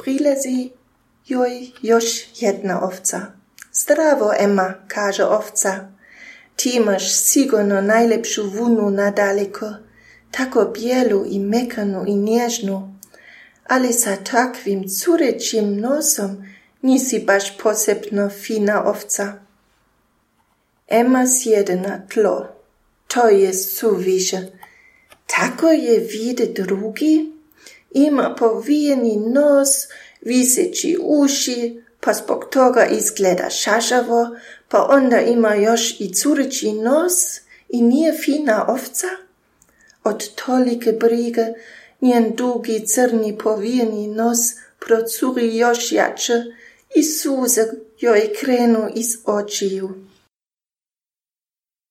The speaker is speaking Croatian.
Prilezi joj još jedna ovca. Zdravo, Emma, kaže ovca. Ti imaš sigurno najlepšu vunu nadaleko, tako bijelu i mekanu i nježnu, ali sa takvim curećim nosom nisi baš posebno fina ovca. Emma sjede na tlo. To je suviše. Tako je vide drugi, ima povijeni nos, viseći uši, pa zbog toga izgleda šašavo, pa onda ima još i cureći nos i nije fina ovca. Od tolike brige njen dugi crni povijeni nos procuri još jače i suze joj krenu iz očiju.